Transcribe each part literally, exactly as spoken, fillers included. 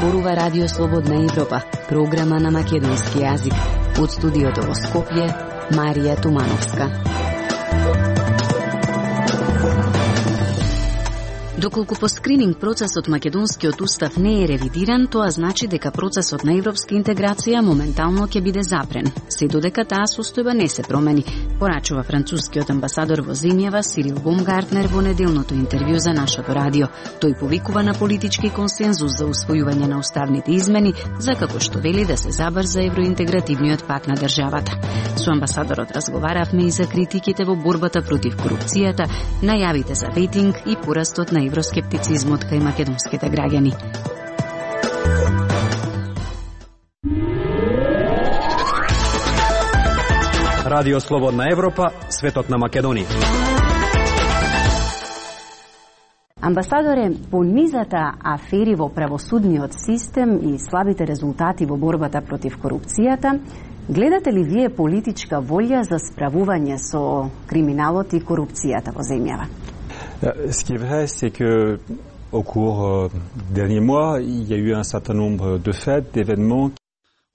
зборува Радио Слободна Европа, програма на македонски јазик. Од студиото во Скопје, Марија Тумановска. Доколку по скрининг процесот македонскиот устав не е ревидиран, тоа значи дека процесот на европска интеграција моментално ќе биде запрен, се додека таа состојба не се промени, порачува францускиот амбасадор во земјава Сирил Бомгартнер во неделното интервју за нашето радио. Тој повикува на политички консензус за усвојување на уставните измени, за како што вели да се забрза евроинтегративниот пат на државата. Со амбасадорот разговаравме и за критиките во борбата против корупцијата, најавите за рейтинг и порастот на евроскептицизмот кај македонските граѓани. Радио Слободна Европа, светот на Македонија. Амбасадоре, по низата афери во правосудниот систем и слабите резултати во борбата против корупцијата, гледате ли вие политичка волја за справување со криминалот и корупцијата во земјава? Ce qui est vrai, c'est que au cours des derniers mois, il y a eu un certain nombre de faits, d'événements.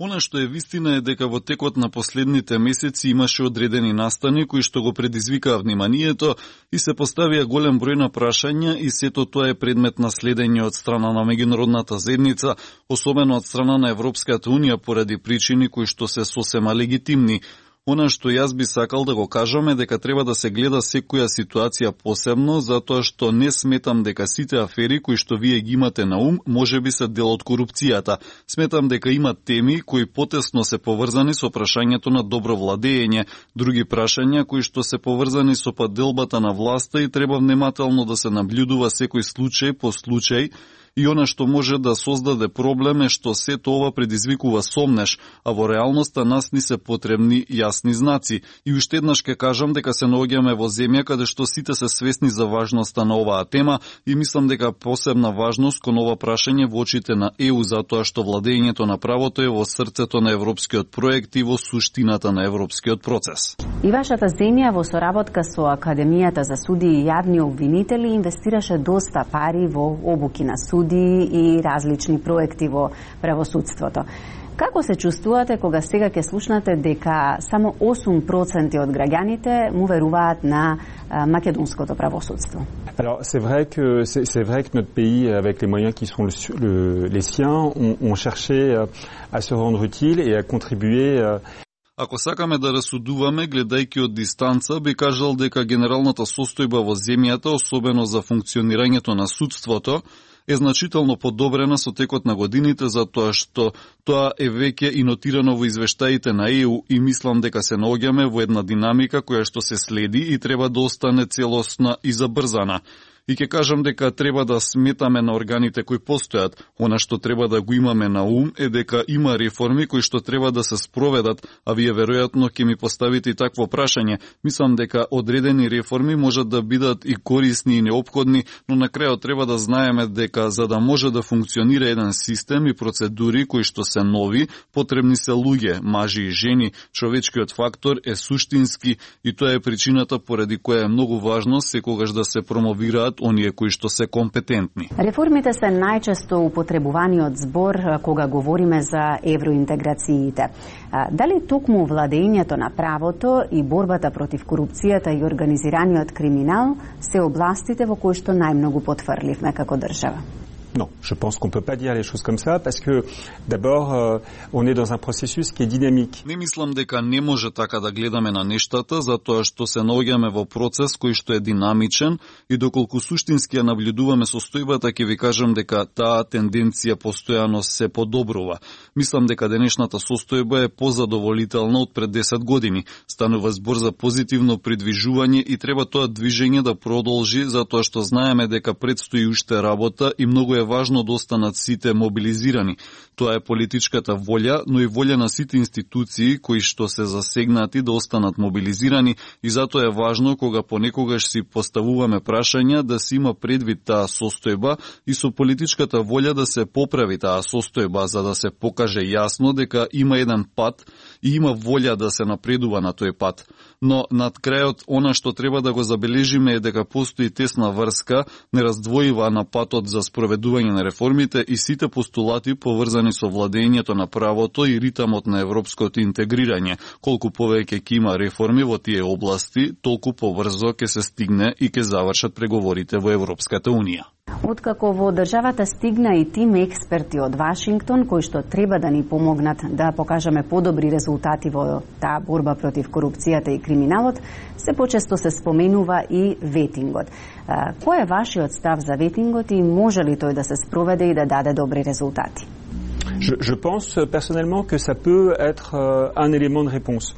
Она што е вистина е дека во текот на последните месеци имаше одредени настани кои што го предизвикаа вниманието и се поставија голем број на прашања и сето тоа е предмет на следење од страна на меѓународната заедница, особено од страна на Европската унија поради причини кои што се сосема легитимни. Она што јас би сакал да го кажам е дека треба да се гледа секоја ситуација посебно, затоа што не сметам дека сите афери кои што вие ги имате на ум може би се дел од корупцијата. Сметам дека има теми кои потесно се поврзани со прашањето на добро владење, други прашања кои што се поврзани со поделбата на власта и треба внимателно да се наблюдува секој случај по случај. И она што може да создаде проблем е што сето ова предизвикува сомнеш, а во реалноста нас ни се потребни јасни знаци. И уште еднаш ке кажам дека се наоѓаме во земја каде што сите се свесни за важноста на оваа тема и мислам дека посебна важност кон ова прашање во очите на Е У затоа што владењето на правото е во срцето на европскиот проект и во суштината на европскиот процес. И вашата земја во соработка со Академијата за судии и јавни обвинители инвестираше доста пари во обуки на суди и различни проекти во правосудството. Како се чувствувате кога сега ќе слушнате дека само осум проценти од граѓаните му веруваат на македонското правосудство? Alors c'est vrai que c'est, c'est vrai que notre pays avec les moyens qui sont le, le, les siens ont, ont cherché à se rendre utile et à contribuer. Ако сакаме да расудуваме, гледајќи од дистанца, би кажал дека генералната состојба во земјата, особено за функционирањето на судството, е значително подобрена со текот на годините, затоа што тоа е веќе и нотирано во извештаите на Е У и мислам дека се наоѓаме во една динамика која што се следи и треба да остане целосна и забрзана. И ќе кажам дека треба да сметаме на органите кои постојат. Она што треба да го имаме на ум е дека има реформи кои што треба да се спроведат, а вие веројатно ќе ми поставите и такво прашање. Мислам дека одредени реформи можат да бидат и корисни и неопходни, но на крајот треба да знаеме дека за да може да функционира еден систем и процедури кои што се нови, потребни се луѓе, мажи и жени. Човечкиот фактор е суштински и тоа е причината поради која е многу важно секогаш да се промовираат оние кои што се компетентни. Реформите се најчесто употребуваниот збор кога говориме за евроинтеграциите. Дали токму владењето на правото и борбата против корупцијата и организираниот криминал се областите во кои што најмногу потврливме како држава? Non, je pense qu'on peut pas dire les choses comme ça parce que d'abord euh, on est dans un processus qui est dynamique. Не мислам дека не може така да гледаме на нештата, затоа што се наоѓаме во процес кој што е динамичен и доколку суштински ја наблюдуваме состојбата, ќе ви кажам дека таа тенденција постојано се подобрува. Мислам дека денешната состојба е позадоволителна од пред десет години. Станува збор за позитивно придвижување и треба тоа движење да продолжи затоа што знаеме дека предстои уште работа и многу е важно да останат сите мобилизирани. Тоа е политичката волја, но и волја на сите институции кои што се засегнати да останат мобилизирани и затоа е важно кога понекогаш си поставуваме прашања да се има предвид таа состојба и со политичката волја да се поправи таа состојба за да се покаже јасно дека има еден пат и има волја да се напредува на тој пат. Но над крајот, она што треба да го забележиме е дека постои тесна врска, нераздвоива на патот за спроведување на реформите и сите постулати поврзани со владењето на правото и ритамот на европското интегрирање. Колку повеќе ќе има реформи во тие области, толку побрзо ќе се стигне и ќе завршат преговорите во Европската Унија. Откако во државата стигна и тим експерти од Вашингтон, кои што треба да ни помогнат да покажеме подобри резултати во таа борба против корупцијата и криминалот, се почесто се споменува и ветингот. Кој е вашиот став за ветингот и може ли тој да се спроведе и да даде добри резултати? Je, je pense personnellement que ça peut être euh, un élément de réponse.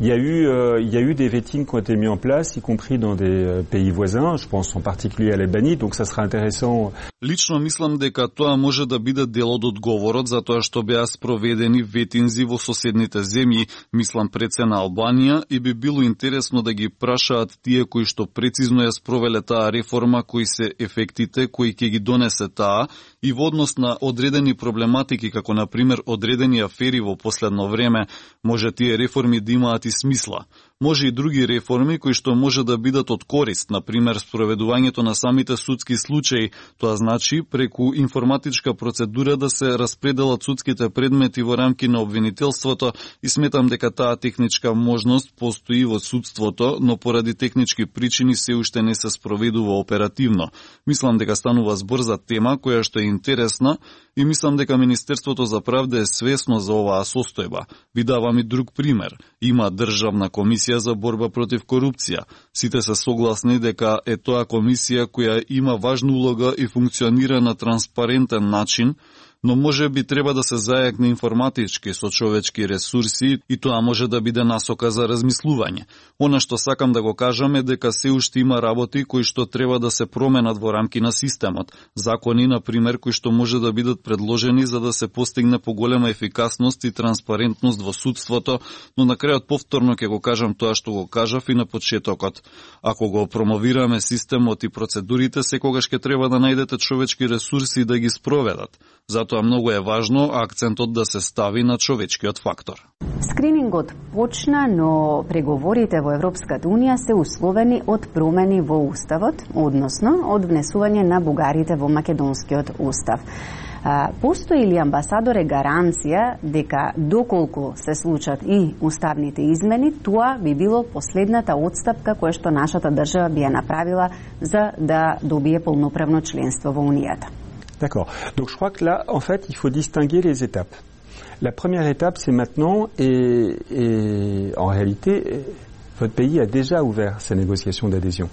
Il y a eu, euh, il y a eu des vetings qui ont été mis en place, y compris dans des euh, pays voisins. Je pense en particulier à l'Albanie, donc ça sera intéressant. Лично мислам дека тоа може да биде дел од одговорот за тоа што беа спроведени ветинзи во соседните земји, мислам пред се на Албанија, и би било интересно да ги прашаат тие кои што прецизно ја спровеле таа реформа, кои се ефектите кои ќе ги донесе таа, и во однос на одредени проблематики, како на пример одредени афери во последно време, може тие реформи да имаат и смисла. Може и други реформи кои што може да бидат од корист, на пример спроведувањето на самите судски случаи, тоа значи преку информатичка процедура да се распределат судските предмети во рамки на обвинителството, и сметам дека таа техничка можност постои во судството, но поради технички причини се уште не се спроведува оперативно. Мислам дека станува збор за тема која што е интересна и мислам дека Министерството за правда е свесно за оваа состојба. Ви давам и друг пример. Има Државна комисија за борба против корупција. Сите се согласни дека е тоа комисија која има важна улога и функционира на транспарентен начин, но може би треба да се зајакне информатички со човечки ресурси и тоа може да биде насока за размислување. Она што сакам да го кажам е дека се уште има работи кои што треба да се променат во рамки на системот. Закони, на пример, кои што може да бидат предложени за да се постигне поголема ефикасност и транспарентност во судството, но на крајот повторно ќе го кажам тоа што го кажав и на почетокот. Ако го промовираме системот и процедурите, секогаш ќе треба да најдете човечки ресурси да ги спроведат. Затоа многу е важно акцентот да се стави на човечкиот фактор. Скринингот почна, но преговорите во Европската Унија се условени од промени во Уставот, односно од внесување на бугарите во Македонскиот Устав. Постои ли, амбасадоре, гаранција дека доколку се случат и уставните измени, тоа би било последната отстапка која што нашата држава би ја направила за да добие полноправно членство во Унијата? D'accord. Donc je crois que là, en fait, il faut distinguer les étapes. La première étape, c'est maintenant, et, et en réalité, votre pays a déjà ouvert sa négociation d'adhésion.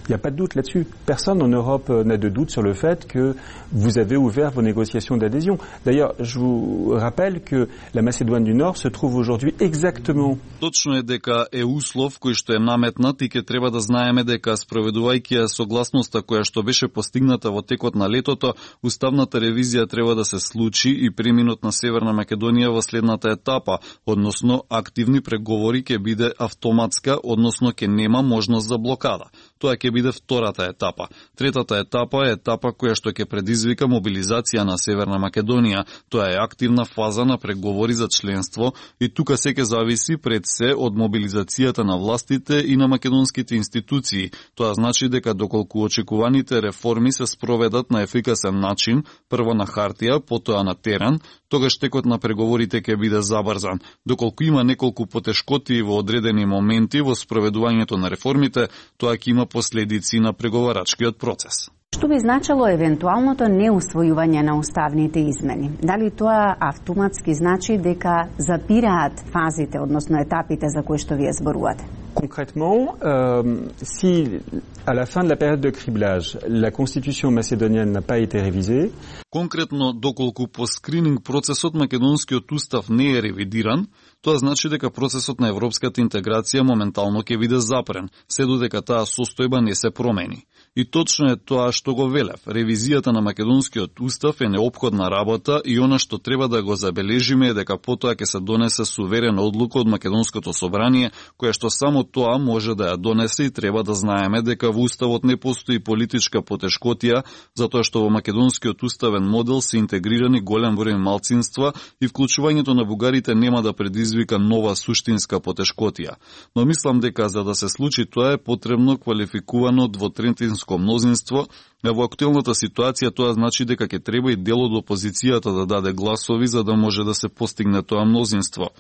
Il n'y a pas de doute là-dessus. Personne en Europe n'a de doute sur le fait que vous avez ouvert vos négociations d'adhésion. D'ailleurs, je vous rappelle que la Macédoine du Nord se trouve aujourd'hui exactement... Точно е дека е услов кој што е наметнат и ќе треба да знаеме дека спроведувајќи ја согласноста која што беше постигната во текот на летото, уставната ревизија треба да се случи и преминот на Северна Македонија во следната етапа, односно активни преговори ќе биде автоматска, односно ќе нема можност за блокада. Тоа ќе биде втората етапа. Третата етапа е етапа која што ќе предизвика мобилизација на Северна Македонија. Тоа е активна фаза на преговори за членство и тука се ќе зависи пред се од мобилизацијата на властите и на македонските институции. Тоа значи дека доколку очекуваните реформи се спроведат на ефикасен начин, прво на хартија, потоа на терен, тогаш текот на преговорите ќе биде забрзан. Доколку има неколку потешкоти во одредени моменти во спроведувањето на реформите, тоа ќе има последици на преговарачкиот процес. Што би значило евентуалното неусвојување на уставните измени? Дали тоа автоматски значи дека запираат фазите, односно етапите за кои што вие зборувате? Concrètement, euh, si à la fin de la période de criblage, la constitution macédonienne n'a pas été révisée, конкретно доколку по скрининг процесот македонскиот устав не е ревидиран, тоа значи дека процесот на европската интеграција моментално ќе биде запрен, се додека таа состојба не се промени. И точно е тоа што го велев. Ревизијата на македонскиот устав е неопходна работа и она што треба да го забележиме е дека потоа ќе се донесе суверена одлука од македонското собрание, која што само тоа може да ја донесе и треба да знаеме дека во уставот не постои политичка потешкотија, затоа што во македонскиот уставен модел се интегрирани голем број малцинства и вклучувањето на бугарите нема да предизвика нова суштинска потешкотија. Но мислам дека за да се случи тоа е потребно квалификувано двотретинско мнозинство, а во актуелната ситуација тоа значи дека ќе треба и дел од опозицијата да даде гласови за да може да се постигне тоа мнозинство.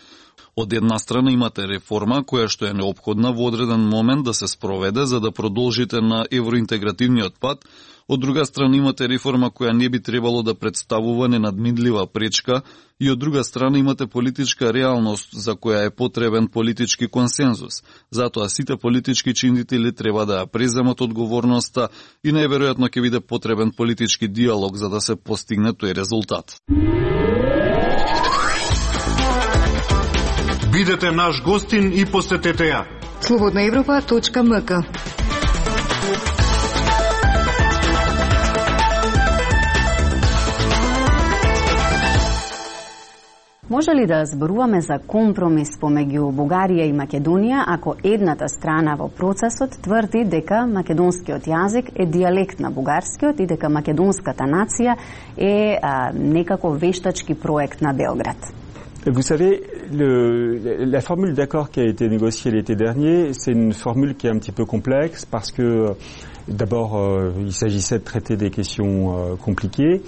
Од една страна имате реформа која што е неопходна во одреден момент да се спроведе за да продолжите на евроинтегративниот пат, од друга страна имате реформа која не би требало да представува ненадминлива пречка и од друга страна имате политичка реалност за која е потребен политички консензус. Затоа сите политички чинители треба да ја преземат одговорноста и најверојатно ќе биде потребен политички диалог за да се постигне тој резултат. Бидете наш гостин и посетете ја. слободна европа точка ем ка. Може ли да зборуваме за компромис помеѓу Бугарија и Македонија ако едната страна во процесот тврди дека македонскиот јазик е дијалект на бугарскиот и дека македонската нација е а, некако вештачки проект на Белград? Vous savez, le, la formule d'accord qui a été négociée l'été dernier, c'est une formule qui est un petit peu complexe parce que d'abord euh, il s'agissait de traiter des questions euh, compliquées.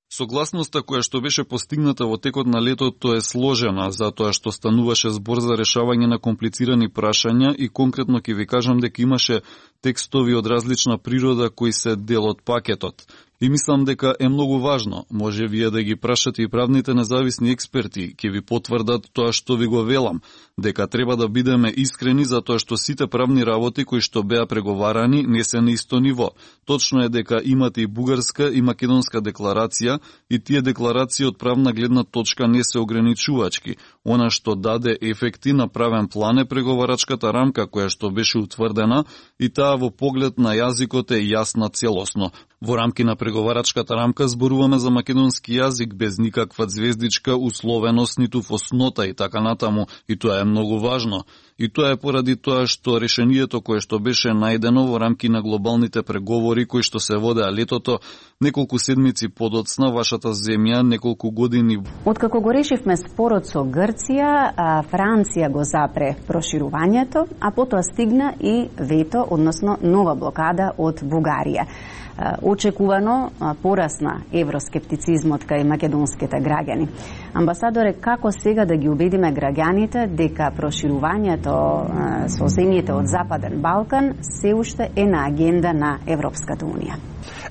Согласноста која што беше постигната во текот на летото е сложена, затоа што стануваше збор за решавање на комплицирани прашања и конкретно ќе ви кажам дека имаше текстови од различна природа кои се дел од пакетот. И мислам дека е многу важно, може вие да ги прашате и правните независни експерти, ќе ви потврдат тоа што ви го велам, дека треба да бидеме искрени затоа што сите правни работи кои што беа преговарани не се на исто ниво. Точно е дека имате и бугарска и македонска декларација и тие декларации од правна гледна точка не се ограничувачки. Она што даде ефекти на правен план е преговарачката рамка која што беше утврдена и таа во поглед на јазикот е јасна целосно. Во рамки на преговарачката рамка зборуваме за македонски јазик без никаква звездичка, условеност, ниту фоснота и така натаму, и тоа е многу важно. И тоа е поради тоа што решението кое што беше најдено во рамки на глобалните преговори кои што се водеа летото, неколку седмици подоцна вашата земја, неколку години. Откако го решивме спорот со Грција, Франција го запре проширувањето, а потоа стигна и вето, односно нова блокада од Бугарија. Очекувано порасна евроскептицизмот кај македонските граѓани. Амбасадоре, како сега да ги убедиме граѓаните дека проширувањето со земјите од Западен Балкан се уште е на агенда на Европската унија?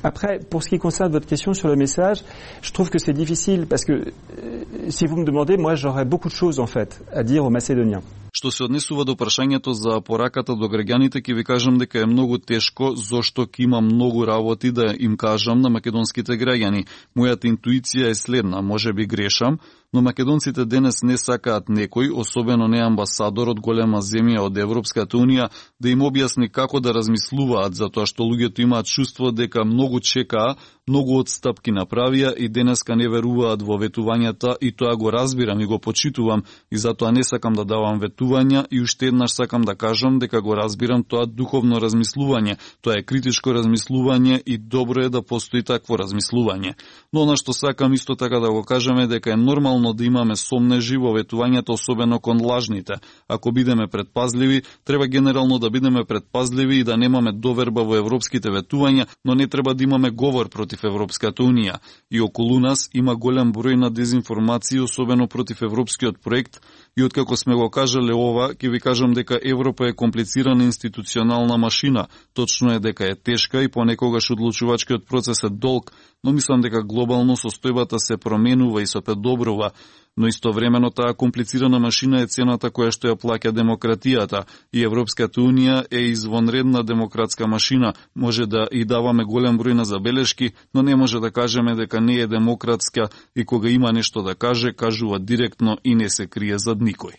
Après, pour ce qui concerne votre question sur le message, je trouve que c'est difficile parce que euh, si vous me demandez, moi j'aurais beaucoup de choses en fait à dire aux Macédoniens. Што се однесува до прашањето за пораката до граѓаните, ќе ви кажам дека е многу тешко, зошто ќе има многу работи да им кажам на македонските граѓани. Мојата интуиција е следна, може би грешам, но македонците денес не сакаат некој, особено не амбасадор од голема земја од Европската унија, да им објасни како да размислуваат, затоа што луѓето имаат чувство дека многу чекаа, многу отстапки направија и денеска не веруваат во ветувањата и тоа го разбирам и го почитувам и затоа не сакам да давам ветувања и уште еднаш сакам да кажам дека го разбирам тоа духовно размислување. Тоа е критичко размислување и добро е да постои такво размислување. Но она што сакам исто така да го кажам е дека е нормално да имаме сомнежи во ветувањата, особено кон лажните. Ако бидеме предпазливи, треба генерално да бидеме предпазливи и да немаме доверба во европските ветувања, но не треба да имаме говор против Европската унија. И околу нас има голем број на дезинформации, особено против европскиот проект, и откако сме го кажале ова, ќе ви кажам дека Европа е комплицирана институционална машина. Точно е дека е тешка и понекогаш одлучувачкиот процес е долг, но мислам дека глобално состојбата се променува и се подобрува. Но истовремено таа комплицирана машина е цената која што ја плаќа демократијата и Европската унија е извонредна демократска машина. Може да и даваме голем број на забелешки, но не може да кажеме дека не е демократска и кога има нешто да каже, кажува директно и не се крие зад никој.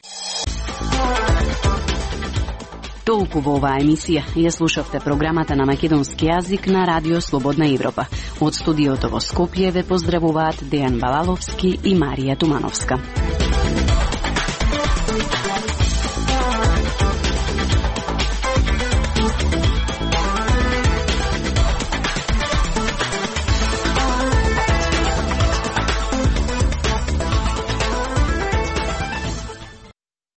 Толку во оваа емисија. Ја слушавте програмата на македонски јазик на Радио Слободна Европа. Од студиото во Скопје ве поздравуваат Дејан Балаловски и Марија Тумановска.